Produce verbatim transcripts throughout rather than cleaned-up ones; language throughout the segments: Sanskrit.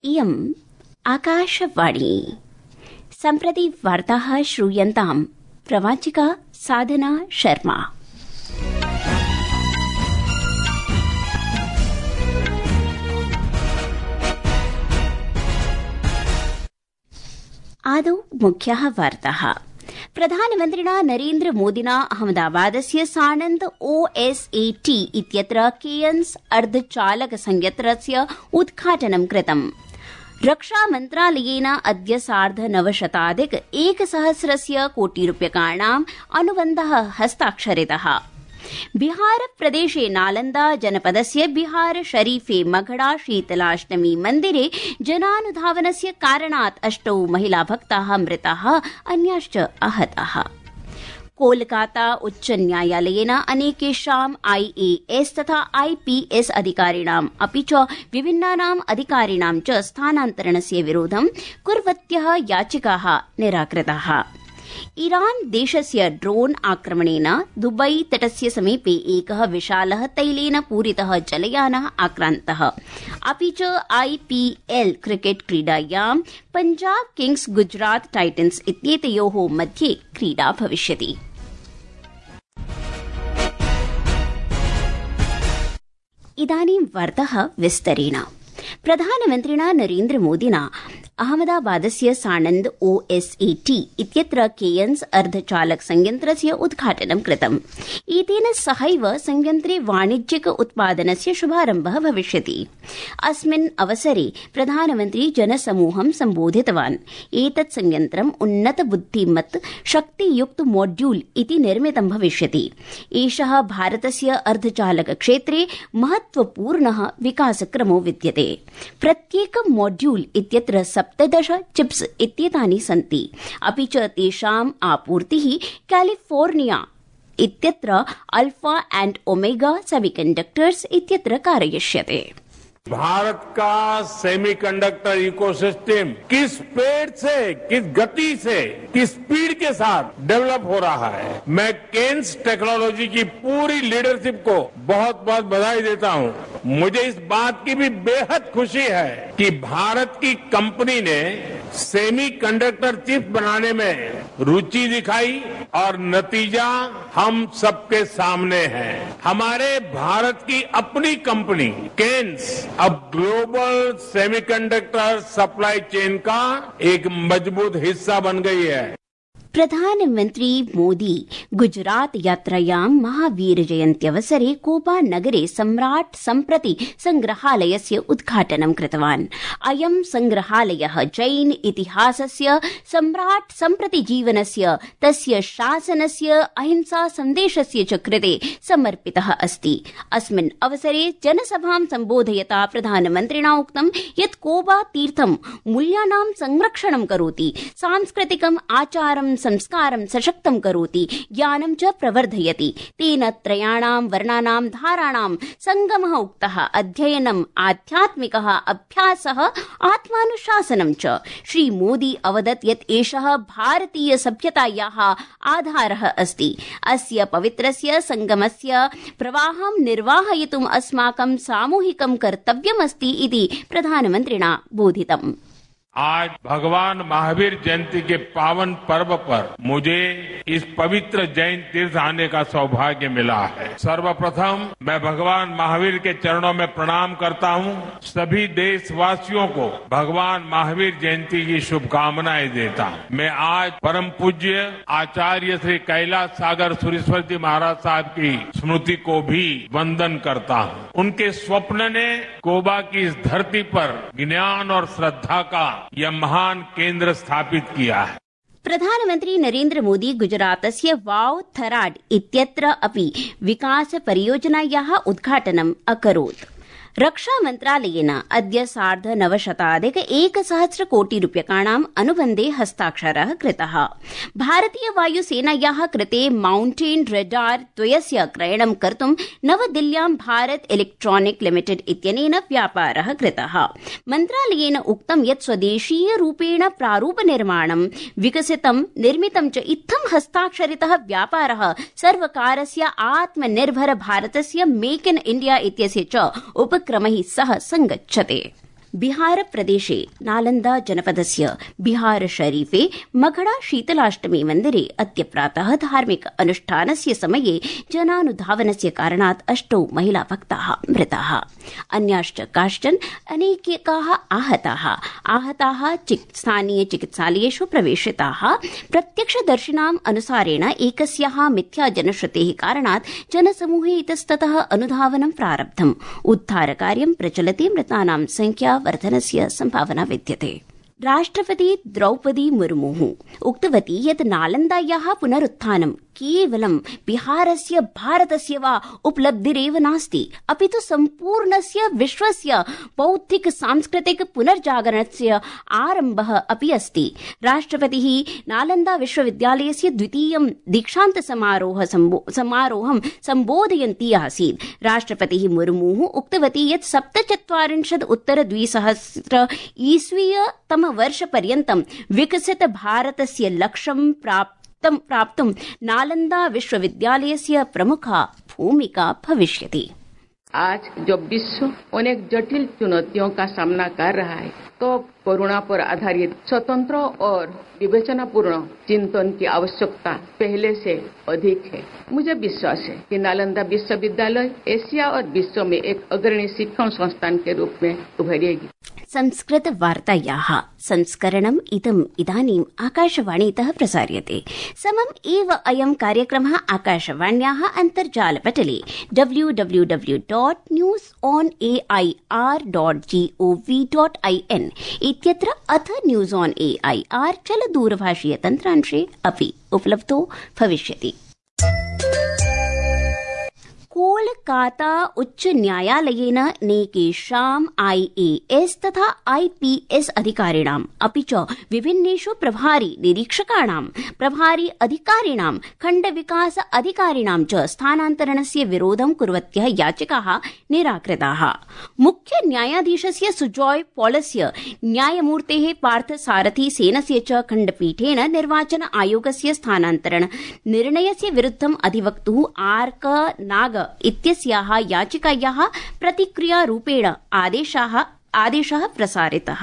इयम् आकाशवाणी। सम्प्रति वार्ताः श्रूयन्ताम्। प्रवाचिका साधना शर्मा। आदौ मुख्याः वार्ताः। प्रधानमन्त्रिणा नरेन्द्र मोदिना अहमदाबादस्य साणन्द ओ एस् ए टी इत्यत्र केयन्स् अर्धचालक संयन्त्रस्य उद्घाटनं कृतम्। रक्षामन्त्रालयेन अद्य सार्धनवशताधिक एकसहस्रस्य कोटिरूप्यकाणाम् अनुबन्धः हस्ताक्षरितः। बिहार प्रदेशे नालन्दा जनपदस्य बिहार शरीफे मघड़ा शीतलाष्टमी मन्दिरे जनानुधावनस्य कारणात् अष्टौ महिला भक्ताः मृताः, अन्याश्च आहताः। कोलकाता उच्च न्यायालयेन अनेकेषाम् आई ए एस् तथा आई पी एस् अधिकारिणाम् अपि च विभिन्नानाम् अधिकारिणां च स्थानान्तरणस्य विरोधं कुर्वत्यः याचिकाः निराकृताः। ईरान देशस्य ड्रोन आक्रमणेन दुबई तटस्य समीपे एकः विशालः तैलेन पूरितः जलयानः आक्रान्तः। अपि च आई पी एल क्रिकेट क्रीडायां पंजाब किंग्स गुजरात टाइटन्स इत्येतयोः मध्ये क्रीडा भविष्यति। इदानीं वार्ताः विस्तरेण। प्रधानमन्त्रिणा नरेन्द्र मोदिना अहमदाबादस्य साणन्द ओ एस् ए टी इत्यत्र केयन्स् अर्धचालक संयन्त्रस्य उद्घाटनं कृतम्। एतेन सहैव संयन्त्रे वाणिज्यिक उत्पादनस्य शुभारम्भः भविष्यति। अस्मिन् अवसरे प्रधानमन्त्री जनसमूहं सम्बोधितवान्। एतत् संयन्त्रम् उन्नत बुद्धिमत् शक्तियुक्त मॉड्यूल् इति निर्मितं भविष्यति। एषः भारतस्य अर्धचालक क्षेत्रे महत्वपूर्णः विकासक्रमो विद्यते। प्रत्येकं मॉड्यूल् इत्यत्र सप्तदश चिप्स् इत्येतानि सन्ति। अपि च तेषाम् आपूर्तिः कैलिफोर्निया इत्यत्र अल्फा एंड ओमेगा सेमीकंडक्टर्स इत्यत्र कारयिष्यते। भारत का सेमीकंडक्टर इकोसिस्टम किस पेड़ से, किस गति से, किस स्पीड के साथ डेवलप हो रहा है। मैं केन्स टेक्नोलॉजी की पूरी लीडरशिप को बहुत बहुत बधाई देता हूं। मुझे इस बात की भी बेहद खुशी है कि भारत की कंपनी ने सेमीकंडक्टर चिप बनाने में रुचि दिखाई और नतीजा हम सबके सामने है। हमारे भारत की अपनी कंपनी केन्स अब ग्लोबल सेमीकंडक्टर सप्लाई चेन का एक मजबूत हिस्सा बन गई है। प्रधानमन्त्री मोदी गुजरात यात्रायां महावीर जयन्त्यवसरे कोबा नगरे सम्राट् सम्प्रति संग्रहालयस्य उद्घाटनं कृतवान्। अयं संग्रहालयः जैन इतिहासस्य, सम्राट् सम्प्रति जीवनस्य, तस्य शासनस्य, अहिंसा सन्देशस्य च कृते समर्पितः अस्ति। अस्मिन् अवसरे जनसभां सम्बोधयता प्रधानमन्त्रिणा उक्तं यत् कोबा तीर्थं मूल्यानां संरक्षणं करोति, सांस्कृतिकम् आचारं संस्कारं सशक्तं करोति, ज्ञानं च प्रवर्धयति। तेन त्रयाणां वर्णानां धाराणां संगमः उक्तः। अध्ययनम्, आध्यात्मिकः अभ्यासः, आत्मानुशासनं च। श्रीमोदी अवदत् यत् एषः भारतीय सभ्यतायाः आधारः अस्ति। अस्य पवित्रस्य संगमस्य प्रवाहं निर्वाहयितुम् अस्माकं सामूहिकं कर्तव्यमस्ति इति प्रधानमन्त्रिणा बोधितम्। आज भगवान महावीर जयंती के पावन पर्व पर मुझे इस पवित्र जैन तीर्थ आने का सौभाग्य मिला है। सर्वप्रथम मैं भगवान महावीर के चरणों में प्रणाम करता हूँ। सभी देशवासियों को भगवान महावीर जयंती की शुभकामनाएं देता हूँ। मैं आज परम पूज्य आचार्य श्री कैलाश सागर सुरेश्वर जी महाराज साहब की स्मृति को भी वंदन करता हूँ। उनके स्वप्न ने कोबा की इस धरती पर ज्ञान और श्रद्धा का यह महान केंद्र स्थापित किया है। प्रधानमन्त्री नरेन्द्र मोदी गुजरातस्य वाव थराड इत्यत्र अपि विकास परियोजनायाः उद्घाटनम् अकरोत्। रक्षामन्त्रालयेन अद्य सार्धनवशताधिक एकसहस्र कोटिरूप्यकाणाम् अनुबन्धे हस्ताक्षरः कृतः। भारतीय वायुसेनायाः कृते माउण्टेन रेडार द्वयस्य क्रयणं कर्तुं नवदिल्ल्यां भारत इलेक्ट्रॉनिक लिमिटेड इत्यनेन व्यापारः कृतः। मन्त्रालयेन उक्तं यत् स्वदेशीयरूपेण प्रारूपनिर्माणं विकसितं निर्मितं च इत्थं हस्ताक्षरितः व्यापारः सर्वकारस्य आत्मनिर्भर भारतस्य मेक इन इंडिया इत्यस्य च उपक्रमैः सह संगच्छते। बिहार प्रदेशे नालन्दा जनपदस्य बिहार शरीफे मघड़ा शीतलाष्टमी मन्दिरे अद्य प्रातः धार्मिक अनुष्ठानस्य समये जनानुधावनस्य कारणात् अष्टौ महिला भक्ताः मृताः, अन्याश्च काश्चन अनेकाः आहताः आहताः स्थानीय चिकित्सालयेषु प्रवेशिताः। प्रत्यक्षदर्शिनाम् अनुसारेण एकस्याः मिथ्या जनश्रुतेः कारणात् जनसमूहे इतस्ततः अनुधावनं प्रारब्धम्। उद्धारकार्यं प्रचलति, मृतानां संख्या वर्धनस्य संभावना विद्यते। राष्ट्रपति द्रौपदी मुर्मुः उक्तवती यत् नालन्दायाः पुनरुत्थानं केवलं बिहारस्य भारतस्य वा उपलब्धिरेव नास्ति, अपि तु सम्पूर्णस्य विश्वस्य बौद्धिक सांस्कृतिक पुनर्जागरणस्य आरम्भः अपि अस्ति। राष्ट्रपतिः नालन्दा विश्वविद्यालयस्य द्वितीयं दीक्षान्त समारोह समारोहं सम्बोधयन्ती आसीत्। राष्ट्रपतिः मुर्मुः उक्तवती यत् सप्तचत्वारिंशत् उत्तर द्विसहस्र ईस्वीय तम वर्षपर्यन्तं विकसित भारतस्य लक्ष्यं प्राप्त प्राप्तुं नालन्दा विश्वविद्यालयस्य प्रमुखा भूमिका भविष्यति। आज जब विश्व अनेक जटिल चुनौतियों का सामना कर रहा है, तो करुणा पर आधारित स्वतंत्र और विवेचनापूर्ण चिंतन की आवश्यकता पहले से अधिक है। मुझे विश्वास है कि नालंदा विश्वविद्यालय एशिया और विश्व में एक अग्रणी शिक्षण संस्थान के रूप में उभरेगी। संस्कृत वार्तायाः संस्करणम् इदम् इदानीम् आकाशवाणीतः प्रसार्यते। समम् एव अयं कार्यक्रमः आकाशवाण्याः अन्तर्जालपटले W W W dot news on A I R dot G O V dot I N इत्यत्र अथ news on A I R चलदूरभाषीय तन्त्रांशे अपि उपलब्धो भविष्यति। कोलकाता उच्च न्यायालयेन नैकेषाम् आई ए एस् तथा आई पी एस् अधिकारिणाम् अपि च विभिन्नेषु प्रभारी निरीक्षकाणां, प्रभारी अधिकारिणां, खण्ड विकास अधिकारिणां च स्थानान्तरणस्य विरोधं कुर्वत्यः याचिकाः निराकृताः। मुख्य न्यायाधीशस्य सुजॉय पॉलस्य, न्यायमूर्तेः पार्थ सारथी सेनस्य च खण्डपीठेन निर्वाचन आयोगस्य स्थानान्तरण निर्णयस्य विरुद्धम् अधिवक्तुः आर्क नाग इत्यस्याः याचिकायाः प्रतिक्रियारूपेण आदेशः आदेशः प्रसारितः।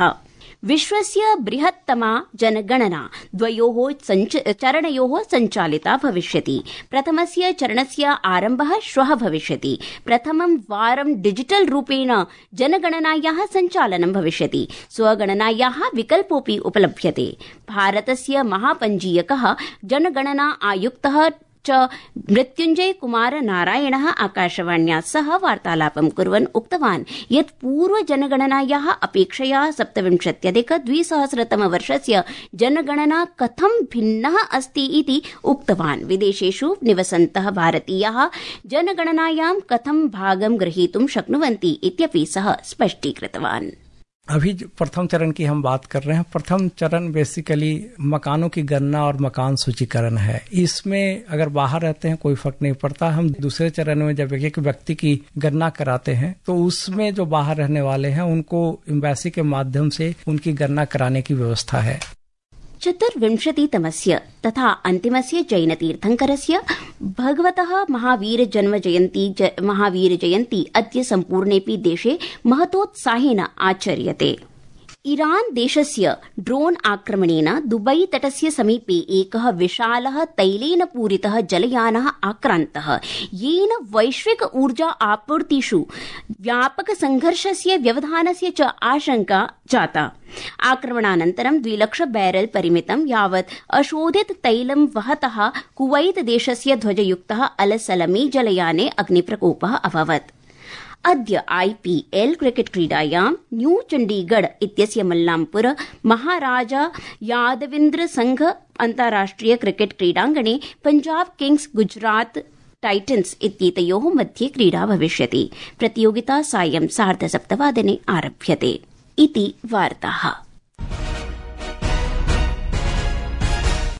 विश्वस्य बृहत्तमा जनगणना द्वयोः चरणयोः सञ्चालिता भविष्यति। प्रथमस्य चरणस्य आरम्भः श्वः भविष्यति। प्रथमं वारं डिजिटल रूपेण जनगणनायाः सञ्चालनं भविष्यति। स्वगणनायाः विकल्पोऽपि उपलभ्यते। भारतस्य महापञ्जीयकः जनगणना आयुक्तः च मृत्युञ्जय कुमार नारायणः आकाशवाण्या सह वार्तालापं कुर्वन् उक्तवान् यत् पूर्व जनगणनायाः अपेक्षया सप्तविंशत्यधिक द्विसहस्रतमवर्षस्य जनगणना कथं भिन्नः अस्ति इति उक्तवान्। विदेशेषु निवसन्तः भारतीयाः जनगणनायां कथं भागं ग्रहीतुं शक्नुवन्ति इत्यपि सः स्पष्टीकृतवान्। अभी प्रथम चरण की हम बात कर रहे हैं। प्रथम चरण बेसिकली मकानों की गणना और मकान सूचीकरण है। इसमें अगर बाहर रहते हैं कोई फर्क नहीं पड़ता। हम दूसरे चरण में जब एक व्यक्ति की गणना कराते हैं तो उसमें जो बाहर रहने वाले हैं उनको एम्बेसी के माध्यम से उनकी गणना कराने की व्यवस्था है। चतुर्विंशतितमस्य तथा अन्तिमस्य जैनतीर्थंकरस्य भगवतः महावीर जन्म जयन्ती ज, महावीर जयन्ती अद्य सम्पूर्णेऽपि देशे महतोत्साहेन आचर्यते। ईरान देशस्य ड्रोन आक्रमणेन दुबई तटस्य समीपे एकः विशालः तैलेन पूरितः जलयानः आक्रान्तः, येन वैश्विक ऊर्जा आपूर्तिषु व्यापक संघर्षस्य व्यवधानस्य च आशंका जाता। आक्रमणानन्तरं द्विलक्ष बैरल परिमितं यावत् अशोधित तैलं वहतः कुवैत देशस्य ध्वजयुक्तः अल सलमी जलयाने अग्निप्रकोपः अभवत्। अद्य आईपीएल क्रिकेट क्रीडायां न्यू चण्डीगढ़ इत्यस्य मल्लामपुर महाराजा यादविन्द्र संघ अन्ताराष्ट्रिय क्रिकेट क्रीडाङ्गणे पंजाब किंग्स गुजरात टाइटन्स इत्येतयोः मध्ये क्रीडा भविष्यति। प्रतियोगिता सायं सार्धसप्तवादने आरभ्यते। इति वार्ताः।